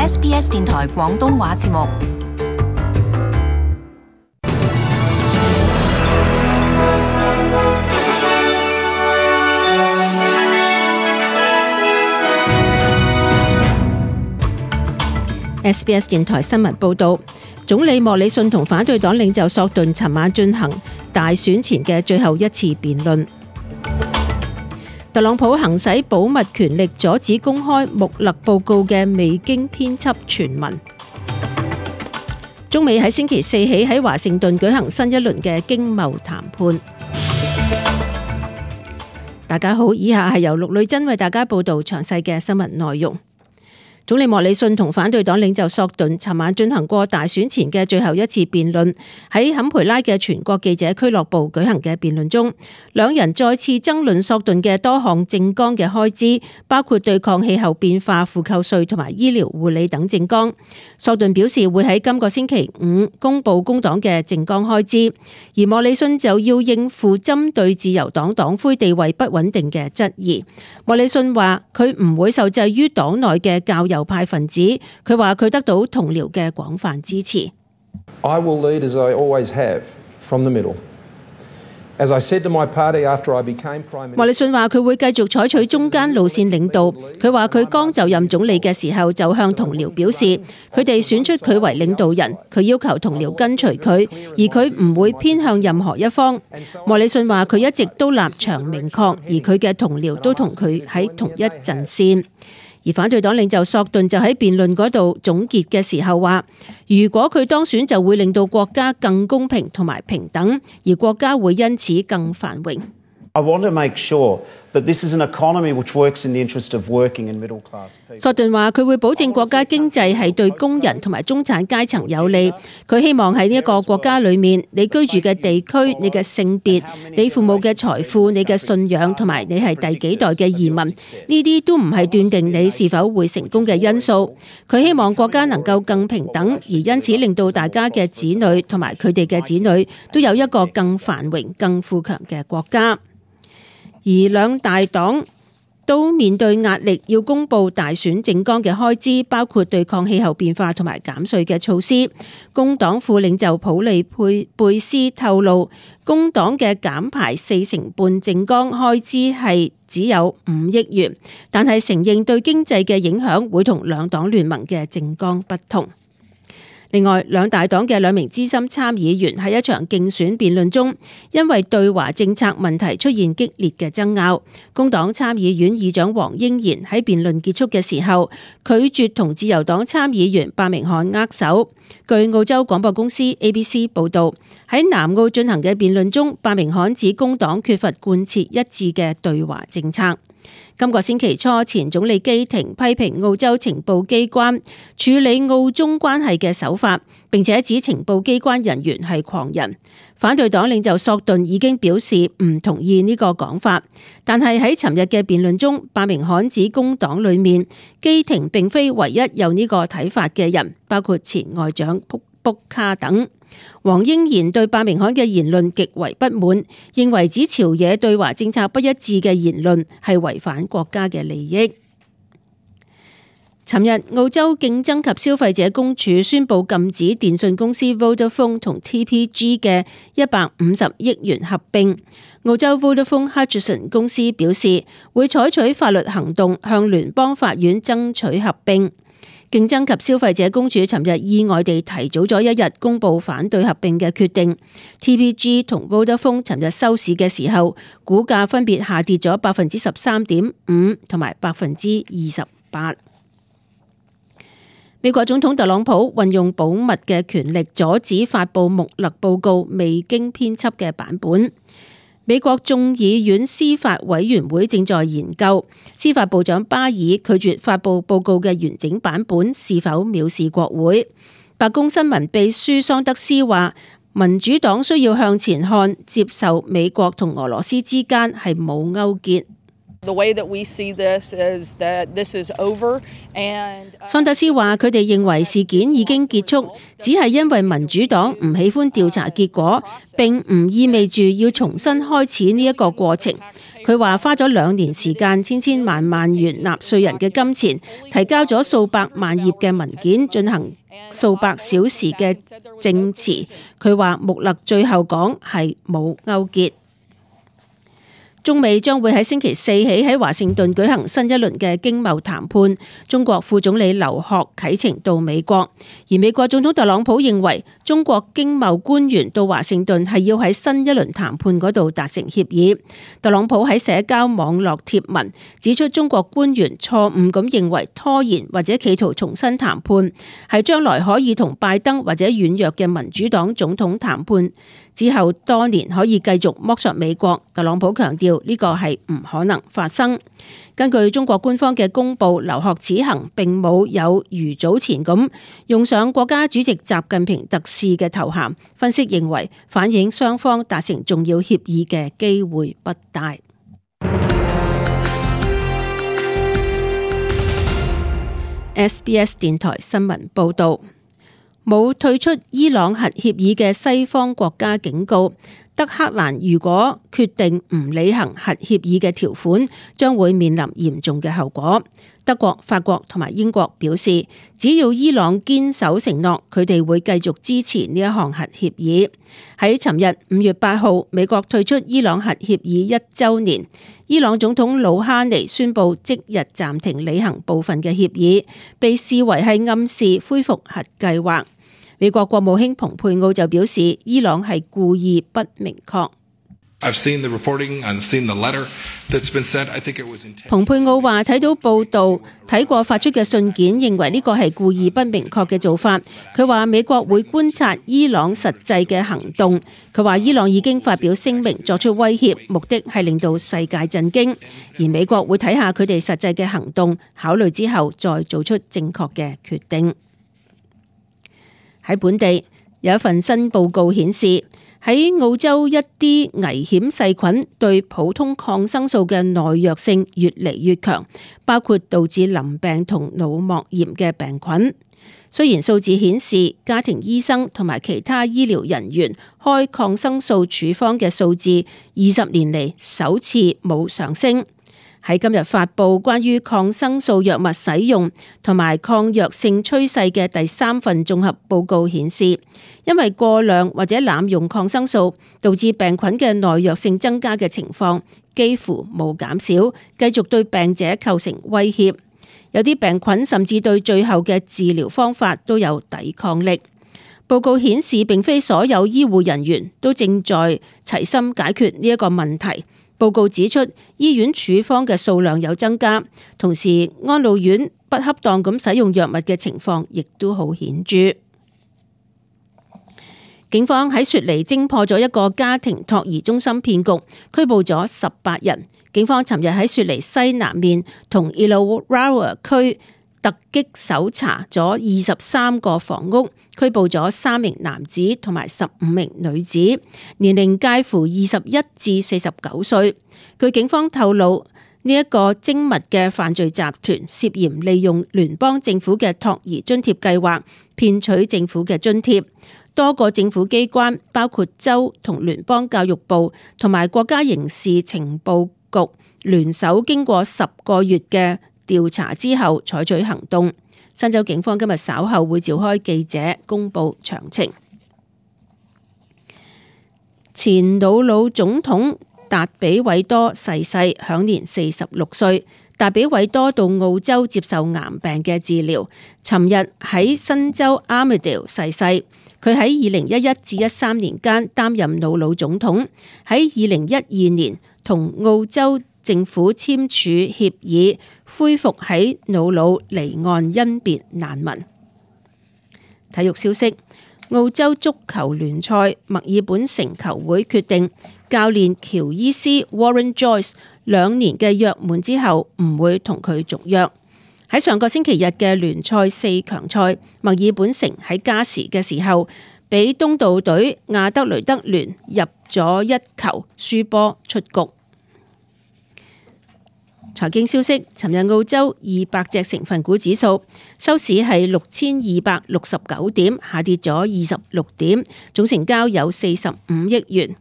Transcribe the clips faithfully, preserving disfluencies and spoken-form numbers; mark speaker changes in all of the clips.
Speaker 1: S B S 電台廣東話節目。
Speaker 2: S B S 電台新聞報道，總理莫里遜同反對黨領袖索頓尋晚進行大選前嘅最後一次辯論。特朗普行使保密權力，阻止公開穆勒報告嘅未經編輯傳聞。中美喺星期四起喺華盛頓舉行新一輪嘅經貿談判。大家好，以下係由陸女珍為大家報道詳細嘅新聞內容。總理莫里遜同反對黨領袖索頓尋晚進行過大選前嘅最後一次辯論，喺坎培拉嘅全國記者俱樂部舉行嘅辯論中，兩人再次爭論索頓嘅多項政綱嘅開支，包括對抗氣候變化、負扣稅同埋醫療護理等政綱。索頓表示會喺今個星期五公布工黨嘅政綱開支，而莫里遜就要應付針對自由黨黨魁地位不穩定嘅質疑。莫里遜話佢唔會受制於黨內嘅較右派分子，佢話佢得到同僚嘅廣泛支持。
Speaker 3: I will lead as I always have from the middle. As I said to my party after I became Prime Minister.
Speaker 2: 莫里遜話佢會繼續採取中間路線領導。佢話佢剛就任總理嘅時候就向同僚表示，佢哋選出佢為領導人，佢要求同僚跟隨佢，而佢唔會偏向任何一方。莫里遜話佢一直都立場明確，而佢嘅同僚都同佢喺同一陣線。而反對黨領袖索頓就喺辯論嗰度總結嘅時候話，如果佢當選就會令到國家更公平同埋平等，而國家會因此更繁榮。
Speaker 4: I want to make sure that this is an economy which works in the interest of working and middle class people.
Speaker 2: 索頓話佢會保證國家經濟係對工人同埋中產階層有利。佢希望喺呢一個國家裏面，你居住嘅地區、你嘅性別、你父母嘅財富、你嘅信仰同埋你係第幾代嘅移民，呢啲都唔係斷定你是否會成功嘅因素。佢希望國家能夠更平等，而因此令到大家嘅子女同埋佢哋嘅子女都有一個更繁榮、更富強嘅國家。而兩大黨都面對壓力，要公布大選政綱嘅開支，包括對抗氣候變化同埋減稅嘅措施。工黨副領袖普利佩貝斯透露，工黨嘅減排四成半政綱開支係只有五億元，但係承認對經濟嘅影響會同兩黨聯盟嘅政綱不同。另外，兩大黨嘅兩名資深參議員喺一場競選辯論中，因為對華政策問題出現激烈嘅爭拗。工黨參議院議長黃英賢喺辯論結束嘅時候，拒絕同自由黨參議員伯明翰握手。據澳洲廣播公司 A B C 報導，喺南澳進行嘅辯論中，伯明翰指工黨缺乏貫徹一致嘅對華政策。今個星期初，前總理基廷批評澳洲情報機關處理澳中關係嘅手法，並且指情報機關人員係狂人。反對黨領袖索頓已經表示唔同意呢個講法，但係喺尋日嘅辯論中，伯明翰指工黨裏面基廷並非唯一有呢個睇法嘅人，包括前外長卜卜卡等。黃英賢對伯明翰嘅言論極為不滿，認為指朝野對華政策不一致嘅言論係違反國家嘅利益。尋日，澳洲競爭及消費者公署宣布禁止電信公司 Vodafone 同 T P G 嘅一百五十億元合併。澳洲 Vodafone Hutchison 公司表示會採取法律行動向聯邦法院爭取合併。競爭及消費者公署尋日意外地提早咗一日公布反對合併嘅決定。T P G 同 Vodafone 尋日收市嘅時候，股價分別下跌咗百分之十三點五同埋百分之二十八。美國總統特朗普運用保密嘅權力，阻止發布穆勒報告未經編輯嘅版本。美國眾議院司法委員會正在研究，司法部長巴爾拒絕發布報告嘅完整版本是否藐視國會。白宮新聞秘書桑德斯話，民主黨需要向前看，接受美國同俄羅斯之間係冇勾結。桑德斯話：佢哋認為事件已經結束，只係因為民主黨唔喜歡調查結果，並唔意味住要重新開始呢一個過程。佢話花咗兩年時間，千千萬萬元納稅人嘅金錢，提交咗數百萬頁嘅文件，進行數百小時嘅證詞。佢話穆勒最後講係冇勾結。中美將會喺星期四起喺華盛頓舉行新一輪嘅經貿談判。中國副總理劉鶴啟程到美國，而美國總統特朗普認為中國經貿官員到華盛頓係要喺新一輪談判嗰度達成協議。特朗普喺社交網絡貼文指出，中國官員錯誤咁認為拖延或者企圖重新談判係將來可以同拜登或者軟弱嘅民主黨總統談判之後多年可以繼續剝削美國。特朗普強調呢個係唔可能發生。根據中國官方嘅公佈，劉鶴此行並冇有如早前咁用上國家主席習近平特使嘅頭銜。分析認為，反映雙方達成重要協議嘅機會不大。S B S 電台新聞報導。冇退出伊朗核協議嘅西方國家警告，德黑蘭如果決定唔履行核協議嘅條款，將會面臨嚴重嘅後果。德國、法國同埋英國表示，只要伊朗堅守承諾，佢哋會繼續支持呢一項核協議。喺尋日五月八號，美國退出伊朗核協議一週年，伊朗總統魯哈尼宣布即日暫停履行部分嘅協議，被視為係暗示恢復核計劃。美國國務卿蓬佩奧就表示，伊朗係故意不明確。蓬佩奧話睇到報道，睇過發出嘅信件，認為呢個係故意不明確嘅做法。佢話美國會觀察伊朗實際嘅行動。佢話伊朗已經發表聲明作出威脅，目的係令到世界震驚，而美國會睇下佢哋實際嘅行動，考慮之後再做出正確嘅決定。喺本地有一份新報告顯示，喺澳洲一啲危險細菌對普通抗生素嘅耐藥性越嚟越強，包括導致淋病同腦膜炎嘅病菌。雖然數字顯示家庭醫生同埋其他醫療人員開抗生素處方嘅數字二十年嚟首次冇上升。喺今日發布關於抗生素藥物使用同埋抗藥性趨勢嘅第三份綜合報告顯示，因為過量或者濫用抗生素導致病菌嘅耐藥性增加嘅情況幾乎冇減少，繼續對病者構成威脅。有啲病菌甚至對最後嘅治療方法都有抵抗力。報告顯示，並非所有醫護人員都正在齊心解決呢一個問題。報告指出，醫院處方嘅數量有增加，同時安老院不恰當咁使用藥物嘅情況亦都好顯著。警方喺雪梨偵破咗一個家庭托兒中心騙局，拘捕咗十八人。警方尋日喺雪梨西南面同 Illawarra 區突擊搜查咗二十三個房屋，拘捕咗三名男子同埋十五名女子，年齡介乎二十一至四十九歲。據警方透露，呢、這、一個精密嘅犯罪集團涉嫌利用聯邦政府嘅托兒津貼計劃騙取政府嘅津貼。多個政府機關，包括州同聯邦教育部同埋國家刑事情報局聯手，經過十個月嘅調查之後採取行動。新州警方今日稍後會召開記者公布詳情。前瑙魯總統達比韋多逝世，享年四十六歲。達比韋多到澳洲接受癌病嘅治療，尋日喺新州 Armidale 逝世。佢喺二零一一至一三年間擔任瑙魯總統，喺二零一二年同澳洲政府簽署協議，恢復喺瑙魯離岸甄別難民。體育消息：澳洲足球聯賽墨爾本城球會決定教練喬伊斯 Warren Joyce 兩年嘅約滿之後唔會同佢續約。喺上個星期日嘅聯賽四強賽，墨爾本城喺加時嘅時候，俾東道隊亞德雷德聯入咗一球，輸波出局。財經消息：尋日澳洲二百隻成分股指數收市係六千二百六十九點，下跌咗二十六點，總成交有四十五億元。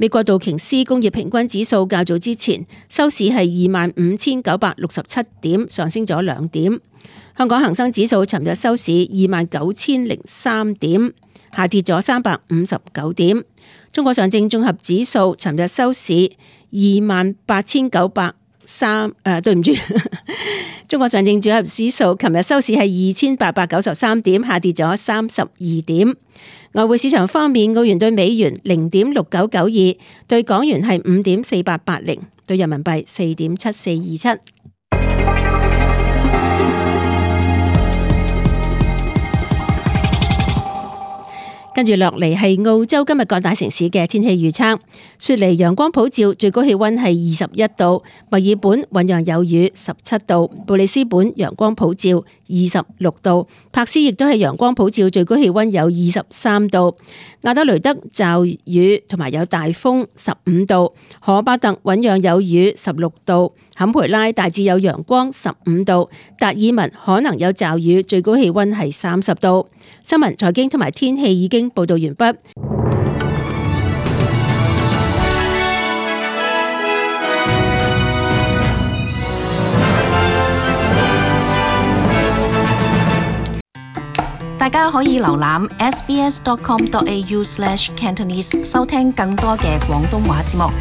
Speaker 2: 美國道瓊斯工業平均指數較早之前收市係二萬五千九百六十七點，上升咗兩點。香港恒生指數尋日收市二萬九千零三點，下跌咗三百五十九點。中國上證綜合指數尋日收市二萬八千九百三，誒，對唔住，中國上證綜合指數尋日收市係二千八百九十三點，下跌咗三十二點。外匯市場方面，澳元對美元零點六九九二，對港元係五點四八八零，對人民幣四點七四二七。跟住落嚟係澳洲今日各大城市嘅天氣預測。雪梨陽光普照，最高氣溫係二十一度；墨爾本醞釀有雨，十七度；布里斯本陽光普照，二十六度；柏斯亦都係陽光普照，最高氣溫有二十三度；亞德雷德驟雨同埋有大風，十五度；荷巴特醞釀有雨，十六度；坎培拉大致有陽光，十五度；達爾文可能有驟雨，最高氣溫係三十度。新聞、財經同埋天氣已經報道完畢。
Speaker 1: 大家可以瀏覽 s b s dot com dot a u slash cantonese 收聽更多嘅廣東話節目。